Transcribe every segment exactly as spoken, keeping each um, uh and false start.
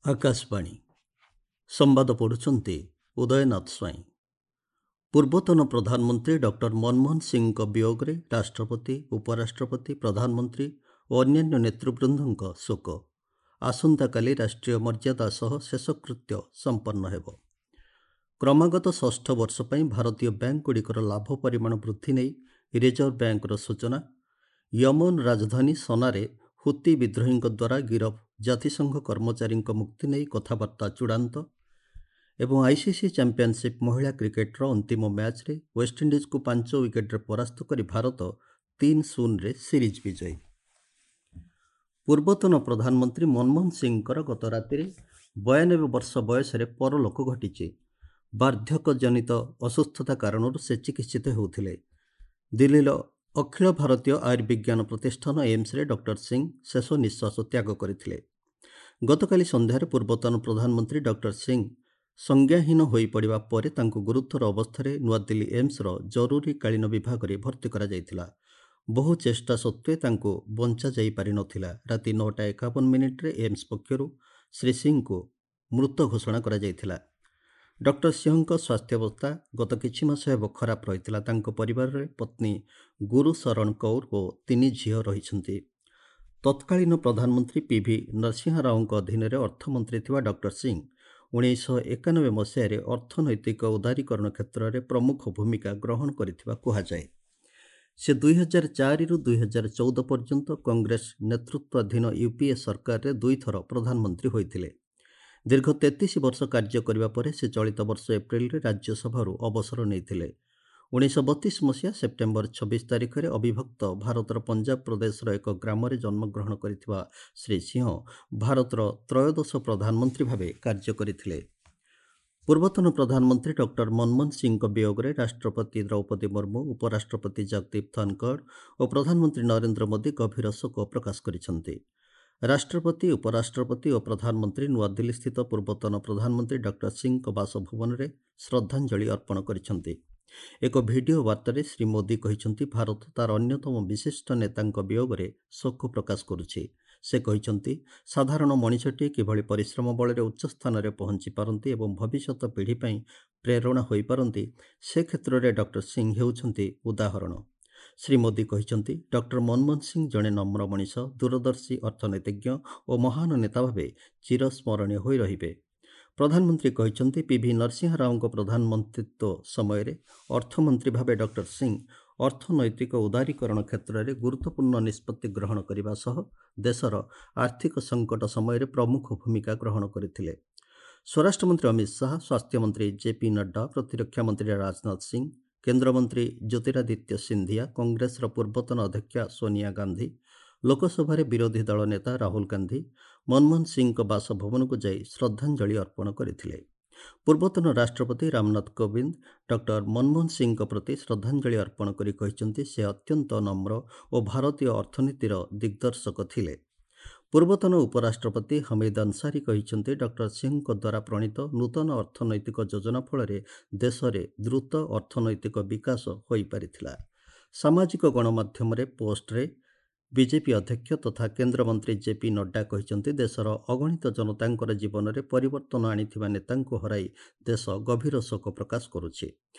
ଆକାଶବାଣୀ ସମ୍ବାଦ ପଢ଼ୁଛନ୍ତି ଉଦୟନାଥ ସ୍ୱାଇଁ ପୂର୍ବତନ ପ୍ରଧାନମନ୍ତ୍ରୀ ଡକ୍ଟର ମନମୋହନ ସିଂହଙ୍କ ବିୟୋଗରେ ରାଷ୍ଟ୍ରପତି ଉପରାଷ୍ଟ୍ରପତି ପ୍ରଧାନମନ୍ତ୍ରୀ ଓ ଅନ୍ୟାନ୍ୟ ନେତୃବୃନ୍ଦଙ୍କ ଶୋକ ଆସନ୍ତାକାଲି ରାଷ୍ଟ୍ରୀୟ ମର୍ଯ୍ୟାଦା ସହ ଶେଷକୃତ୍ୟ ସମ୍ପନ୍ନ ହେବ କ୍ରମାଗତ ଷଷ୍ଠ ବର୍ଷ ପାଇଁ ଭାରତୀୟ ବ୍ୟାଙ୍କଗୁଡ଼ିକର ଲାଭ ପରିମାଣ ବୃଦ୍ଧି ନେଇ ରିଜର୍ଭ ବ୍ୟାଙ୍କର ସୂଚନା ୟମନ ରାଜଧାନୀ ସନାରେ ହୁତି ବିଦ୍ରୋହୀଙ୍କ ଦ୍ୱାରା ଗିରଫ ଜାତିସଂଘ କର୍ମଚାରୀଙ୍କ ମୁକ୍ତି ନେଇ କଥାବାର୍ତ୍ତା ଚୂଡ଼ାନ୍ତ ଏବଂ ଆଇସିସି ଚାମ୍ପିଅନସିପ୍ ମହିଳା କ୍ରିକେଟର ଅନ୍ତିମ ମ୍ୟାଚ୍ରେ ୱେଷ୍ଟଇଣ୍ଡିଜକୁ ପାଞ୍ଚ ୱିକେଟରେ ପରାସ୍ତ କରି ଭାରତ ତିନି ଶୂନରେ ସିରିଜ୍ ବିଜୟୀ ପୂର୍ବତନ ପ୍ରଧାନମନ୍ତ୍ରୀ ମନମୋହନ ସିଂହଙ୍କର ଗତ ରାତିରେ ବୟାନବେ ବର୍ଷ ବୟସରେ ପରଲୋକ ଘଟିଛି ବାର୍ଦ୍ଧକ୍ୟଜନିତ ଅସୁସ୍ଥତା କାରଣରୁ ସେ ଚିକିତ୍ସିତ ହେଉଥିଲେ ଦିଲ୍ଲୀର ଅଖିଳ ଭାରତୀୟ ଆୟୁର୍ବିଜ୍ଞାନ ପ୍ରତିଷ୍ଠାନ ଏମ୍ସରେ ଡକ୍ଟର ସିଂହ ଶେଷ ନିଃଶ୍ୱାସ ତ୍ୟାଗ କରିଥିଲେ ଗତକାଲି ସନ୍ଧ୍ୟାରେ ପୂର୍ବତନ ପ୍ରଧାନମନ୍ତ୍ରୀ ଡକ୍ଟର ସିଂହ ସଂଜ୍ଞାହୀନ ହୋଇପଡ଼ିବା ପରେ ତାଙ୍କୁ ଗୁରୁତର ଅବସ୍ଥାରେ ନୂଆଦିଲ୍ଲୀ ଏମ୍ସର ଜରୁରୀକାଳୀନ ବିଭାଗରେ ଭର୍ତ୍ତି କରାଯାଇଥିଲା ବହୁ ଚେଷ୍ଟା ସତ୍ତ୍ୱେ ତାଙ୍କୁ ବଞ୍ଚାଯାଇ ପାରିନଥିଲା ରାତି ନଅଟା ଏକାବନ ମିନିଟ୍ରେ ଏମ୍ସ ପକ୍ଷରୁ ଶ୍ରୀ ସିଂହଙ୍କୁ ମୃତ ଘୋଷଣା କରାଯାଇଥିଲା ଡକ୍ଟର ସିଂହଙ୍କ ସ୍ୱାସ୍ଥ୍ୟାବସ୍ଥା ଗତ କିଛି ମାସ ହେବ ଖରାପ ରହିଥିଲା ତାଙ୍କ ପରିବାରରେ ପତ୍ନୀ ଗୁରୁଶରଣ କୌର ଓ ତିନି ଝିଅ ରହିଛନ୍ତି ତତ୍କାଳୀନ ପ୍ରଧାନମନ୍ତ୍ରୀ ପିଭି ନରସିଂହା ରାଓଙ୍କ ଅଧୀନରେ ଅର୍ଥମନ୍ତ୍ରୀ ଥିବା ଡକ୍ଟର ସିଂହ ଉଣେଇଶହ ଏକାନବେ ମସିହାରେ ଅର୍ଥନୈତିକ ଉଦାରୀକରଣ କ୍ଷେତ୍ରରେ ପ୍ରମୁଖ ଭୂମିକା ଗ୍ରହଣ କରିଥିବା କୁହାଯାଏ ସେ ଦୁଇହଜାର ଚାରିରୁ ଦୁଇହଜାର ଚଉଦ ପର୍ଯ୍ୟନ୍ତ କଂଗ୍ରେସ ନେତୃତ୍ୱାଧୀନ ୟୁପିଏ ସରକାରରେ ଦୁଇଥର ପ୍ରଧାନମନ୍ତ୍ରୀ ହୋଇଥିଲେ ଦୀର୍ଘ ତେତିଶ ବର୍ଷ କାର୍ଯ୍ୟ କରିବା ପରେ ସେ ଚଳିତ ବର୍ଷ ଏପ୍ରିଲରେ ରାଜ୍ୟସଭାରୁ ଅବସର ନେଇଥିଲେ ଉଣେଇଶହ ବତିଶ ମସିହା ସେପ୍ଟେମ୍ବର ଛବିଶ ତାରିଖରେ ଅବିଭକ୍ତ ଭାରତର ପଞ୍ଜାବ ପ୍ରଦେଶର ଏକ ଗ୍ରାମରେ ଜନ୍ମଗ୍ରହଣ କରିଥିବା ଶ୍ରୀ ସିଂହ ଭାରତର ତ୍ରୟୋଦଶ ପ୍ରଧାନମନ୍ତ୍ରୀ ଭାବେ କାର୍ଯ୍ୟ କରିଥିଲେ ପୂର୍ବତନ ପ୍ରଧାନମନ୍ତ୍ରୀ ଡକ୍ଟର ମନମୋହନ ସିଂହଙ୍କ ବିୟୋଗରେ ରାଷ୍ଟ୍ରପତି ଦ୍ରୌପଦୀ ମୁର୍ମୁ ଉପରାଷ୍ଟ୍ରପତି ଜଗଦୀପ ଧନଖଡ଼ ଓ ପ୍ରଧାନମନ୍ତ୍ରୀ ନରେନ୍ଦ୍ର ମୋଦି ଗଭୀର ଶୋକ ପ୍ରକାଶ କରିଛନ୍ତି ରାଷ୍ଟ୍ରପତି ଉପରାଷ୍ଟ୍ରପତି ଓ ପ୍ରଧାନମନ୍ତ୍ରୀ ନୂଆଦିଲ୍ଲୀସ୍ଥିତ ପୂର୍ବତନ ପ୍ରଧାନମନ୍ତ୍ରୀ ଡକ୍ଟର ସିଂହଙ୍କ ବାସଭବନରେ ଶ୍ରଦ୍ଧାଞ୍ଜଳି ଅର୍ପଣ କରିଛନ୍ତି ଏକ ଭିଡ଼ିଓ ବାର୍ତ୍ତାରେ ଶ୍ରୀ ମୋଦି କହିଛନ୍ତି ଭାରତ ତାର ଅନ୍ୟତମ ବିଶିଷ୍ଟ ନେତାଙ୍କ ବିୟୋଗରେ ଶୋକ ପ୍ରକାଶ କରୁଛି ସେ କହିଛନ୍ତି ସାଧାରଣ ମଣିଷଟିଏ କିଭଳି ପରିଶ୍ରମ ବଳରେ ଉଚ୍ଚ ସ୍ଥାନରେ ପହଞ୍ଚି ପାରନ୍ତି ଏବଂ ଭବିଷ୍ୟତ ପିଢ଼ି ପାଇଁ ପ୍ରେରଣା ହୋଇପାରନ୍ତି ସେ କ୍ଷେତ୍ରରେ ଡକ୍ଟର ସିଂହ ହେଉଛନ୍ତି ଉଦାହରଣ ଶ୍ରୀ ମୋଦି କହିଛନ୍ତି ଡକ୍ଟର ମନମୋହନ ସିଂହ ଜଣେ ନମ୍ର ମଣିଷ ଦୂରଦର୍ଶୀ ଅର୍ଥନୀତିଜ୍ଞ ଓ ମହାନ ନେତା ଭାବେ ଚିରସ୍ମରଣୀୟ ହୋଇ ରହିବେ ପ୍ରଧାନମନ୍ତ୍ରୀ କହିଛନ୍ତି ପିଭି ନରସିଂହା ରାଓଙ୍କ ପ୍ରଧାନମନ୍ତ୍ରିତ୍ୱ ସମୟରେ ଅର୍ଥମନ୍ତ୍ରୀ ଭାବେ ଡକ୍ଟର ସିଂହ ଅର୍ଥନୈତିକ ଉଦାରୀକରଣ କ୍ଷେତ୍ରରେ ଗୁରୁତ୍ୱପୂର୍ଣ୍ଣ ନିଷ୍ପତ୍ତି ଗ୍ରହଣ କରିବା ସହ ଦେଶର ଆର୍ଥିକ ସଙ୍କଟ ସମୟରେ ପ୍ରମୁଖ ଭୂମିକା ଗ୍ରହଣ କରିଥିଲେ ସ୍ୱରାଷ୍ଟ୍ରମନ୍ତ୍ରୀ ଅମିତ ଶାହା ସ୍ୱାସ୍ଥ୍ୟମନ୍ତ୍ରୀ ଜେପି ନଡ୍ଡା ପ୍ରତିରକ୍ଷା ମନ୍ତ୍ରୀ ରାଜନାଥ ସିଂହ କେନ୍ଦ୍ରମନ୍ତ୍ରୀ ଜ୍ୟୋତିରାଦିତ୍ୟ ସିନ୍ଧିଆ କଂଗ୍ରେସର ପୂର୍ବତନ ଅଧ୍ୟକ୍ଷା ସୋନିଆ ଗାନ୍ଧୀ ଲୋକସଭାରେ ବିରୋଧୀ ଦଳ ନେତା ରାହୁଲ ଗାନ୍ଧୀ ମନମୋହନ ସିଂହଙ୍କ ବାସଭବନକୁ ଯାଇ ଶ୍ରଦ୍ଧାଞ୍ଜଳି ଅର୍ପଣ କରିଥିଲେ ପୂର୍ବତନ ରାଷ୍ଟ୍ରପତି ରାମନାଥ କୋବିନ୍ଦ ଡକ୍ଟର ମନମୋହନ ସିଂହଙ୍କ ପ୍ରତି ଶ୍ରଦ୍ଧାଞ୍ଜଳି ଅର୍ପଣ କରି କହିଛନ୍ତି ସେ ଅତ୍ୟନ୍ତ ନମ୍ର ଓ ଭାରତୀୟ ଅର୍ଥନୀତିର ଦିଗ୍ଦର୍ଶକ ଥିଲେ ପୂର୍ବତନ ଉପରାଷ୍ଟ୍ରପତି ହମିଦ ଅନସାରୀ କହିଛନ୍ତି ଡକ୍ଟର ସିଂହଙ୍କ ଦ୍ୱାରା ପ୍ରଣୀତ ନୂତନ ଅର୍ଥନୈତିକ ଯୋଜନା ଫଳରେ ଦେଶରେ ଦ୍ରୁତ ଅର୍ଥନୈତିକ ବିକାଶ ହୋଇପାରିଥିଲା ସାମାଜିକ ଗଣମାଧ୍ୟମରେ ପୋଷ୍ଟରେ ବିଜେପି ଅଧ୍ୟକ୍ଷ ତଥା କେନ୍ଦ୍ରମନ୍ତ୍ରୀ ଜେପି ନଡ୍ଡା କହିଛନ୍ତି ଦେଶର ଅଗଣିତ ଜନତାଙ୍କର ଜୀବନରେ ପରିବର୍ତ୍ତନ ଆଣିଥିବା ନେତାଙ୍କୁ ହରାଇ ଦେଶ ଗଭୀର ଶୋକ ପ୍ରକାଶ କରୁଛି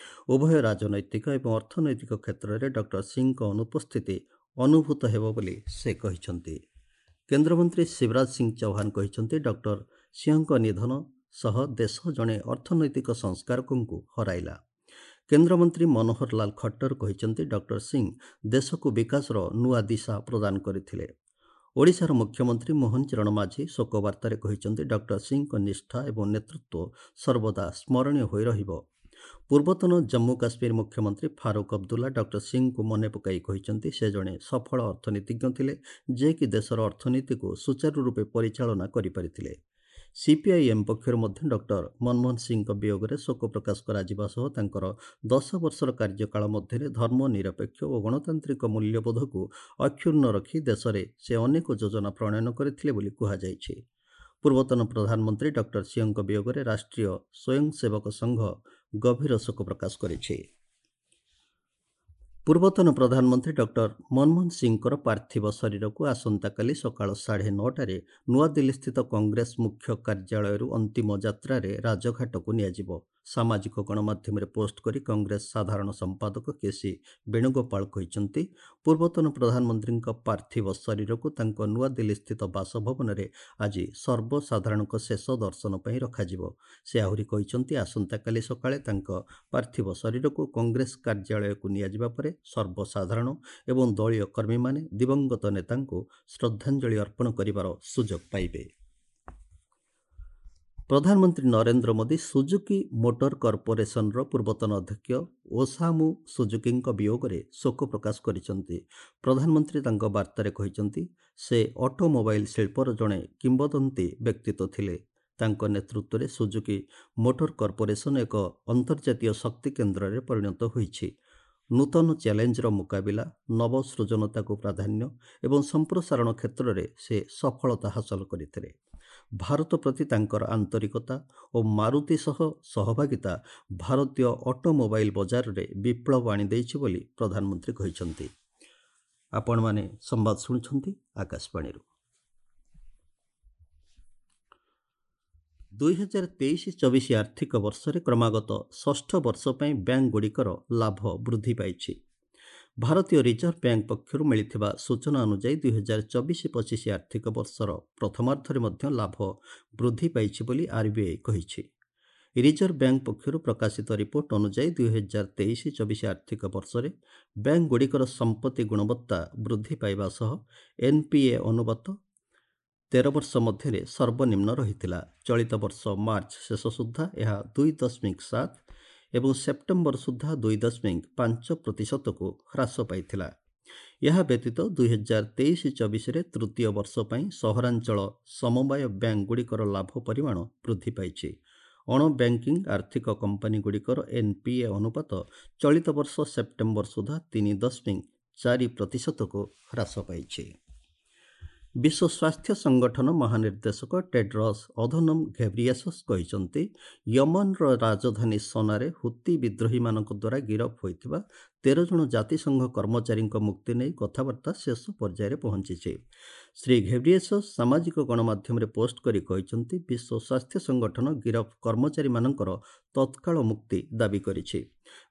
ଉଭୟ ରାଜନୈତିକ ଏବଂ ଅର୍ଥନୈତିକ କ୍ଷେତ୍ରରେ ଡକ୍ଟର ସିଂହଙ୍କ ଅନୁପସ୍ଥିତି ଅନୁଭୂତ ହେବ ବୋଲି ସେ କହିଛନ୍ତି କେନ୍ଦ୍ରମନ୍ତ୍ରୀ ଶିବରାଜ ସିଂ ଚୌହାନ କହିଛନ୍ତି ଡକ୍ଟର ସିଂହଙ୍କ ନିଧନ ସହ ଦେଶ ଜଣେ ଅର୍ଥନୈତିକ ସଂସ୍କାରକଙ୍କୁ ହରାଇଲା କେନ୍ଦ୍ରମନ୍ତ୍ରୀ ମନୋହର ଲାଲ ଖଟ୍ଟର କହିଛନ୍ତି ଡକ୍ଟର ସିଂହ ଦେଶକୁ ବିକାଶର ନୂଆ ଦିଶା ପ୍ରଦାନ କରିଥିଲେ ଓଡ଼ିଶାର ମୁଖ୍ୟମନ୍ତ୍ରୀ ମୋହନ ଚରଣ ମାଝୀ ଶୋକବାର୍ତ୍ତାରେ କହିଛନ୍ତି ଡକ୍ଟର ସିଂହଙ୍କ ନିଷ୍ଠା ଏବଂ ନେତୃତ୍ୱ ସର୍ବଦା ସ୍ମରଣୀୟ ହୋଇ ରହିବ ପୂର୍ବତନ ଜମ୍ମୁ କାଶ୍ମୀର ମୁଖ୍ୟମନ୍ତ୍ରୀ ଫାରୁକ୍ ଅବଦୁଲ୍ଲା ଡକ୍ଟର ସିଂହଙ୍କୁ ମନେ ପକାଇ କହିଛନ୍ତି ସେ ଜଣେ ସଫଳ ଅର୍ଥନୀତିଜ୍ଞ ଥିଲେ ଯିଏକି ଦେଶର ଅର୍ଥନୀତିକୁ ସୁଚାରୁ ରୂପେ ପରିଚାଳନା କରିପାରିଥିଲେ ସିପିଆଇଏମ୍ ପକ୍ଷରୁ ମଧ୍ୟ ଡକ୍ଟର ମନମୋହନ ସିଂହଙ୍କ ବିୟୋଗରେ ଶୋକ ପ୍ରକାଶ କରାଯିବା ସହ ତାଙ୍କର ଦଶ ବର୍ଷର କାର୍ଯ୍ୟକାଳ ମଧ୍ୟରେ ଧର୍ମ ନିରପେକ୍ଷ ଓ ଗଣତାନ୍ତ୍ରିକ ମୂଲ୍ୟବୋଧକୁ ଅକ୍ଷୁଣ୍ଣ ରଖି ଦେଶରେ ସେ ଅନେକ ଯୋଜନା ପ୍ରଣୟନ କରିଥିଲେ ବୋଲି କୁହାଯାଇଛି ପୂର୍ବତନ ପ୍ରଧାନମନ୍ତ୍ରୀ ଡକ୍ଟର ସିଂହଙ୍କ ବିୟୋଗରେ ରାଷ୍ଟ୍ରୀୟ ସ୍ୱୟଂସେବକ ସଂଘ ଗଭୀର ଶୋକ ପ୍ରକାଶ କରିଛି ପୂର୍ବତନ ପ୍ରଧାନମନ୍ତ୍ରୀ ଡକ୍ଟର ମନମୋହନ ସିଂହଙ୍କର ପାର୍ଥିବ ଶରୀରକୁ ଆସନ୍ତାକାଲି ସକାଳ ସାଢ଼େ ନଅଟାରେ ନୂଆଦିଲ୍ଲୀସ୍ଥିତ କଂଗ୍ରେସ ମୁଖ୍ୟ କାର୍ଯ୍ୟାଳୟରୁ ଅନ୍ତିମ ଯାତ୍ରାରେ ରାଜଘାଟକୁ ନିଆଯିବ। ସାମାଜିକ ଗଣମାଧ୍ୟମରେ ପୋଷ୍ଟ କରି କଂଗ୍ରେସ ସାଧାରଣ ସମ୍ପାଦକ କେ ସି ବେଣୁଗୋପାଳ କହିଛନ୍ତି, ପୂର୍ବତନ ପ୍ରଧାନମନ୍ତ୍ରୀଙ୍କ ପାର୍ଥିବ ଶରୀରକୁ ତାଙ୍କ ନୂଆଦିଲ୍ଲୀସ୍ଥିତ ବାସଭବନରେ ଆଜି ସର୍ବସାଧାରଣଙ୍କ ଶେଷ ଦର୍ଶନ ପାଇଁ ରଖାଯିବ। ସେ ଆହୁରି କହିଛନ୍ତି, ଆସନ୍ତାକାଲି ସକାଳେ ତାଙ୍କ ପାର୍ଥିବ ଶରୀରକୁ କଂଗ୍ରେସ କାର୍ଯ୍ୟାଳୟକୁ ନିଆଯିବା ପରେ ସର୍ବସାଧାରଣ ଏବଂ ଦଳୀୟ କର୍ମୀମାନେ ଦିବଂଗତ ନେତାଙ୍କୁ ଶ୍ରଦ୍ଧାଞ୍ଜଳି ଅର୍ପଣ କରିବାର ସୁଯୋଗ ପାଇବେ। ପ୍ରଧାନମନ୍ତ୍ରୀ ନରେନ୍ଦ୍ର ମୋଦି ସୁଜୁକି ମୋଟର କର୍ପୋରେସନର ପୂର୍ବତନ ଅଧ୍ୟକ୍ଷ ଓସାମୁ ସୁଜୁକିଙ୍କ ବିୟୋଗରେ ଶୋକ ପ୍ରକାଶ କରିଛନ୍ତି। ପ୍ରଧାନମନ୍ତ୍ରୀ ତାଙ୍କ ବାର୍ତ୍ତାରେ କହିଛନ୍ତି, ସେ ଅଟୋମୋବାଇଲ୍ ଶିଳ୍ପର ଜଣେ କିମ୍ବଦନ୍ତୀ ବ୍ୟକ୍ତିତ୍ୱ ଥିଲେ। ତାଙ୍କ ନେତୃତ୍ୱରେ ସୁଜୁକି ମୋଟର କର୍ପୋରେସନ ଏକ ଅନ୍ତର୍ଜାତୀୟ ଶକ୍ତି କେନ୍ଦ୍ରରେ ପରିଣତ ହୋଇଛି। ନୂତନ ଚ୍ୟାଲେଞ୍ଜର ମୁକାବିଲା, ନବସୃଜନତାକୁ ପ୍ରାଧାନ୍ୟ ଏବଂ ସମ୍ପ୍ରସାରଣ କ୍ଷେତ୍ରରେ ସେ ସଫଳତା ହାସଲ କରିଥିଲେ। ଭାରତ ପ୍ରତି ତାଙ୍କର ଆନ୍ତରିକତା ଓ ମାରୁତି ସହ ସହଭାଗିତା ଭାରତୀୟ ଅଟୋମୋବାଇଲ୍ ବଜାରରେ ବିପ୍ଳବ ଆଣିଦେଇଛି ବୋଲି ପ୍ରଧାନମନ୍ତ୍ରୀ କହିଛନ୍ତି। ଆପଣମାନେ ସମ୍ବାଦ ଶୁଣୁଛନ୍ତି ଆକାଶବାଣୀରୁ। ଦୁଇ ହଜାର ତେଇଶ ଚବିଶ ଆର୍ଥିକ ବର୍ଷରେ କ୍ରମାଗତ ଷଷ୍ଠ ବର୍ଷ ପାଇଁ ବ୍ୟାଙ୍କଗୁଡ଼ିକର ଲାଭ ବୃଦ୍ଧି ପାଇଛି। ଭାରତୀୟ ରିଜର୍ଭ ବ୍ୟାଙ୍କ ପକ୍ଷରୁ ମିଳିଥିବା ସୂଚନା ଅନୁଯାୟୀ ଦୁଇ ହଜାର ଚବିଶ ପଚିଶ ଆର୍ଥିକ ବର୍ଷର ପ୍ରଥମାର୍ଦ୍ଧରେ ମଧ୍ୟ ଲାଭ ବୃଦ୍ଧି ପାଇଛି ବୋଲି ଆର୍ବିଆଇ କହିଛି। ରିଜର୍ଭ ବ୍ୟାଙ୍କ ପକ୍ଷରୁ ପ୍ରକାଶିତ ରିପୋର୍ଟ ଅନୁଯାୟୀ ଦୁଇ ହଜାର ତେଇଶ ଚବିଶ ଆର୍ଥିକ ବର୍ଷରେ ବ୍ୟାଙ୍କଗୁଡ଼ିକର ସମ୍ପତ୍ତି ଗୁଣବତ୍ତା ବୃଦ୍ଧି ପାଇବା ସହ ଏନ୍ପିଏ ଅନୁପାତ ତେର ବର୍ଷ ମଧ୍ୟରେ ସର୍ବନିମ୍ନ ରହିଥିଲା। ଚଳିତ ବର୍ଷ ମାର୍ଚ୍ଚ ଶେଷ ସୁଦ୍ଧା ଏହା ଦୁଇ ଦଶମିକ ସାତ ଏବଂ ସେପ୍ଟେମ୍ବର ସୁଦ୍ଧା ଦୁଇ ଦଶମିକ ପାଞ୍ଚ ପ୍ରତିଶତକୁ ହ୍ରାସ ପାଇଥିଲା। ଏହା ବ୍ୟତୀତ ଦୁଇ ହଜାର ତେଇଶ ଚବିଶରେ ତୃତୀୟ ବର୍ଷ ପାଇଁ ସହରାଞ୍ଚଳ ସମବାୟ ବ୍ୟାଙ୍କଗୁଡ଼ିକର ଲାଭ ପରିମାଣ ବୃଦ୍ଧି ପାଇଛି। ଅଣ ବ୍ୟାଙ୍କିଂ ଆର୍ଥିକ କମ୍ପାନୀଗୁଡ଼ିକର ଏନ୍ପିଏ ଅନୁପାତ ଚଳିତ ବର୍ଷ ସେପ୍ଟେମ୍ବର ସୁଦ୍ଧା ତିନି ଦଶମିକ ଚାରି ପ୍ରତିଶତକୁ ହ୍ରାସ ପାଇଛି। ବିଶ୍ୱ ସ୍ୱାସ୍ଥ୍ୟ ସଂଗଠନ ମହାନିର୍ଦ୍ଦେଶକ ଟେଡ୍ରସ୍ ଅଧନମ୍ ଘେବ୍ରିଏସସ୍ କହିଛନ୍ତି, ୟମନର ରାଜଧାନୀ ସନାରେ ହୁତି ବିଦ୍ରୋହୀମାନଙ୍କ ଦ୍ୱାରା ଗିରଫ ହୋଇଥିବା ତେର ଜଣ ଜାତିସଂଘ କର୍ମଚାରୀଙ୍କ ମୁକ୍ତି ନେଇ କଥାବାର୍ତ୍ତା ଶେଷ ପର୍ଯ୍ୟାୟରେ ପହଞ୍ଚିଛି। ଶ୍ରୀ ଘେବ୍ରିଏସସ୍ ସାମାଜିକ ଗଣମାଧ୍ୟମରେ ପୋଷ୍ଟ କରି କହିଛନ୍ତି, ବିଶ୍ୱ ସ୍ୱାସ୍ଥ୍ୟ ସଂଗଠନ ଗିରଫ କର୍ମଚାରୀମାନଙ୍କର ତତ୍କାଳ ମୁକ୍ତି ଦାବି କରିଛି।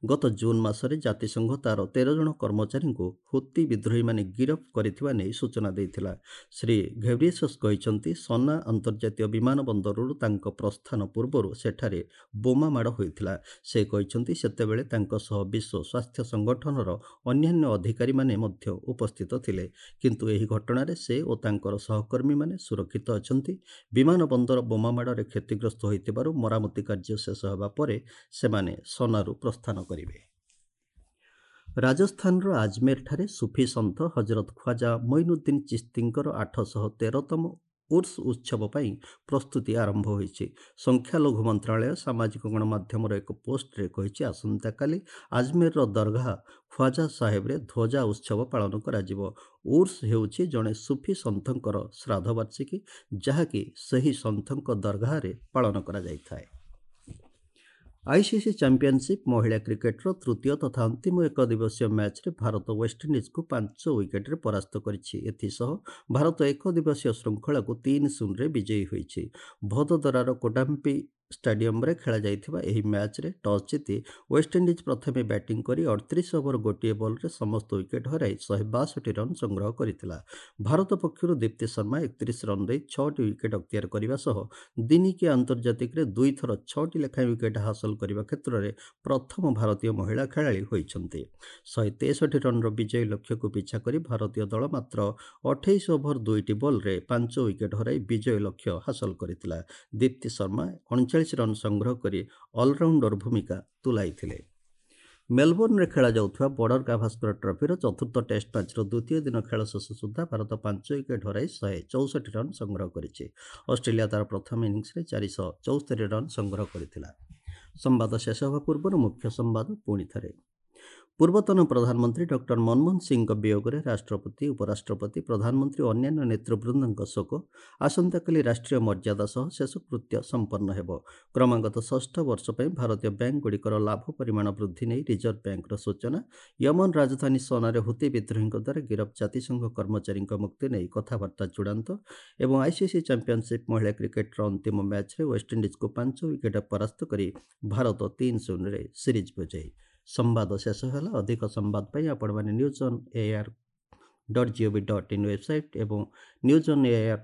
ଗତ ଜୁନ୍ ମାସରେ ଜାତିସଂଘ ତା'ର ତେର ଜଣ କର୍ମଚାରୀଙ୍କୁ ହୁତି ବିଦ୍ରୋହୀମାନେ ଗିରଫ କରିଥିବା ନେଇ ସୂଚନା ଦେଇଥିଲା। ଶ୍ରୀ ଘେବ୍ରିଏସସ୍ କହିଛନ୍ତି, ସନା ଅନ୍ତର୍ଜାତୀୟ ବିମାନ ବନ୍ଦରରୁ ତାଙ୍କ ପ୍ରସ୍ଥାନ ପୂର୍ବରୁ ସେଠାରେ ବୋମା ମାଡ଼ ହୋଇଥିଲା। ସେ କହିଛନ୍ତି, ସେତେବେଳେ ତାଙ୍କ ସହ ବିଶ୍ୱ ସ୍ୱାସ୍ଥ୍ୟ ସଂଗଠନର ଅନ୍ୟାନ୍ୟ ଅଧିକାରୀମାନେ ମଧ୍ୟ ଉପସ୍ଥିତ ଥିଲେ, କିନ୍ତୁ ଏହି ଘଟଣାରେ ସେ ଓ ତାଙ୍କର ସହକର୍ମୀମାନେ ସୁରକ୍ଷିତ ଅଛନ୍ତି। ବିମାନ ବନ୍ଦର ବୋମା ମାଡ଼ରେ କ୍ଷତିଗ୍ରସ୍ତ ହୋଇଥିବାରୁ ମରାମତି କାର୍ଯ୍ୟ ଶେଷ ହେବା ପରେ ସେମାନେ ସନାରୁ ପ୍ରସ୍ଥାନ କରିବେ। ରାଜସ୍ଥାନର ଆଜମେରଠାରେ ସୁଫି ସନ୍ଥ ହଜରତ ଖ୍ୱାଜା ମଇନୁଦ୍ଦିନ ଚିସ୍ତିଙ୍କର ଆଠଶହ ତେରତମ ଉର୍ସ ଉତ୍ସବ ପାଇଁ ପ୍ରସ୍ତୁତି ଆରମ୍ଭ ହୋଇଛି। ସଂଖ୍ୟାଲଘୁ ମନ୍ତ୍ରଣାଳୟ ସାମାଜିକ ଗଣମାଧ୍ୟମର ଏକ ପୋଷ୍ଟରେ କହିଛି, ଆସନ୍ତାକାଲି ଆଜମେରର ଦରଘା ଖ୍ୱାଜା ସାହେବରେ ଧ୍ୱଜା ଉତ୍ସବ ପାଳନ କରାଯିବ। ଉର୍ସ ହେଉଛି ଜଣେ ସୁଫି ସନ୍ଥଙ୍କର ଶ୍ରାଦ୍ଧବାର୍ଷିକୀ, ଯାହାକି ସେହି ସନ୍ଥଙ୍କ ଦରଘାରେ ପାଳନ କରାଯାଇଥାଏ। ଆଇସିସି ଚାମ୍ପିଅନସିପ୍ ମହିଳା କ୍ରିକେଟର ତୃତୀୟ ତଥା ଅନ୍ତିମ ଏକଦିବସୀୟ ମ୍ୟାଚ୍ରେ ଭାରତ ୱେଷ୍ଟଇଣ୍ଡିଜକୁ ପାଞ୍ଚ ୱିକେଟରେ ପରାସ୍ତ କରିଛି। ଏଥିସହ ଭାରତ ଏକଦିବସୀୟ ଶୃଙ୍ଖଳାକୁ ତିନି ଶୂନରେ ବିଜୟୀ ହୋଇଛି। ଭଦୋଦରାର କୋଟାମ୍ପି ଷ୍ଟାଡିୟମରେ ଖେଳାଯାଇଥିବା ଏହି ମ୍ୟାଚ୍ରେ ଟସ୍ ଜିତି ୱେଷ୍ଟଇଣ୍ଡିଜ୍ ପ୍ରଥମେ ବ୍ୟାଟିଂ କରି ଅଠତିରିଶ ଓଭର ଗୋଟିଏ ବଲ୍ରେ ସମସ୍ତ ୱିକେଟ୍ ହରାଇ ଶହେ ବାଷଠି ରନ୍ ସଂଗ୍ରହ କରିଥିଲା। ଭାରତ ପକ୍ଷରୁ ଦୀପ୍ତି ଶର୍ମା ଏକତିରିଶ ରନ୍ ଦେଇ ଛଅଟି ୱିକେଟ୍ ଅକ୍ତିଆର କରିବା ସହ ଦିନିକିଆ ଆନ୍ତର୍ଜାତିକରେ ଦୁଇଥର ଛଅଟି ଲେଖାଏଁ ୱିକେଟ୍ ହାସଲ କରିବା କ୍ଷେତ୍ରରେ ପ୍ରଥମ ଭାରତୀୟ ମହିଳା ଖେଳାଳି ହୋଇଛନ୍ତି। ଶହେ ତେଷଠି ରନ୍ର ବିଜୟୀ ଲକ୍ଷ୍ୟକୁ ପିଛା କରି ଭାରତୀୟ ଦଳ ମାତ୍ର ଅଠେଇଶ ଓଭର ଦୁଇଟି ବଲ୍ରେ ପାଞ୍ଚ ୱିକେଟ୍ ହରାଇ ବିଜୟ ଲକ୍ଷ୍ୟ ହାସଲ କରିଥିଲା। ଦୀପ୍ତି ଶର୍ମା ଅଣଚାଳିଶ ରନ୍ ସଂଗ୍ରହ କରି ଅଲରାଉଣ୍ଡର ଭୂମିକା ତୁଲାଇଥିଲେ। ମେଲବୋର୍ଣ୍ଣରେ ଖେଳାଯାଉଥିବା ବର୍ଡର ଗାଭାସ୍କର ଟ୍ରଫିର ଚତୁର୍ଥ ଟେଷ୍ଟ ମ୍ୟାଚ୍ର ଦ୍ୱିତୀୟ ଦିନ ଖେଳ ଶେଷ ସୁଦ୍ଧା ଭାରତ ପାଞ୍ଚ ୱିକେଟ୍ ହରାଇ ଶହେ ଚଉଷଠି ରନ୍ ସଂଗ୍ରହ କରିଛି। ଅଷ୍ଟ୍ରେଲିଆ ତା'ର ପ୍ରଥମ ଇନିଂସରେ ଚାରିଶହ ଚଉସ୍ତରୀ ରନ୍ ସଂଗ୍ରହ କରିଥିଲା। ସମ୍ବାଦ ଶେଷ ହେବା ପୂର୍ବରୁ ମୁଖ୍ୟ ସମ୍ବାଦ ପୁଣି ଥରେ। ପୂର୍ବତନ ପ୍ରଧାନମନ୍ତ୍ରୀ ଡକ୍ଟର ମନମୋହନ ସିଂଙ୍କ ବିୟୋଗରେ ରାଷ୍ଟ୍ରପତି, ଉପରାଷ୍ଟ୍ରପତି, ପ୍ରଧାନମନ୍ତ୍ରୀ ଓ ଅନ୍ୟାନ୍ୟ ନେତୃବୃନ୍ଦଙ୍କ ଶୋକ। ଆସନ୍ତାକାଲି ରାଷ୍ଟ୍ରୀୟ ମର୍ଯ୍ୟାଦା ସହ ଶେଷକୃତ୍ୟ ସମ୍ପନ୍ନ ହେବ। କ୍ରମାଗତ ଷଷ୍ଠ ବର୍ଷ ପାଇଁ ଭାରତୀୟ ବ୍ୟାଙ୍କଗୁଡ଼ିକର ଲାଭ ପରିମାଣ ବୃଦ୍ଧି ନେଇ ରିଜର୍ଭ ବ୍ୟାଙ୍କର ସୂଚନା। ୟମନ ରାଜଧାନୀ ସନାରେ ହୁତି ବିଦ୍ରୋହୀଙ୍କ ଦ୍ୱାରା ଗିରଫ ଜାତିସଂଘ କର୍ମଚାରୀଙ୍କ ମୁକ୍ତି ନେଇ କଥାବାର୍ତ୍ତା ଚୂଡ଼ାନ୍ତ। ଏବଂ ଆଇସିସି ଚାମ୍ପିଅନସିପ୍ ମହିଳା କ୍ରିକେଟର ଅନ୍ତିମ ମ୍ୟାଚ୍ରେ ୱେଷ୍ଟଇଣ୍ଡିଜକୁ ପାଞ୍ଚ ୱିକେଟ୍ ପରାସ୍ତ କରି ଭାରତ ତିନି ଶୂନରେ ସିରିଜ୍ ବିଜୟୀ। ସମ୍ବାଦ ଶେଷ ହେଲା। ଅଧିକ ସମ୍ବାଦ ପାଇଁ ଆପଣମାନେ news on air dot gov dot in website ଏବଂ ନ୍ୟୁଜ୍ ଅନ୍ ଏଆର୍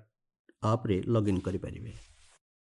ଆପ୍ରେ ଲଗ୍ଇନ୍ କରିପାରିବେ।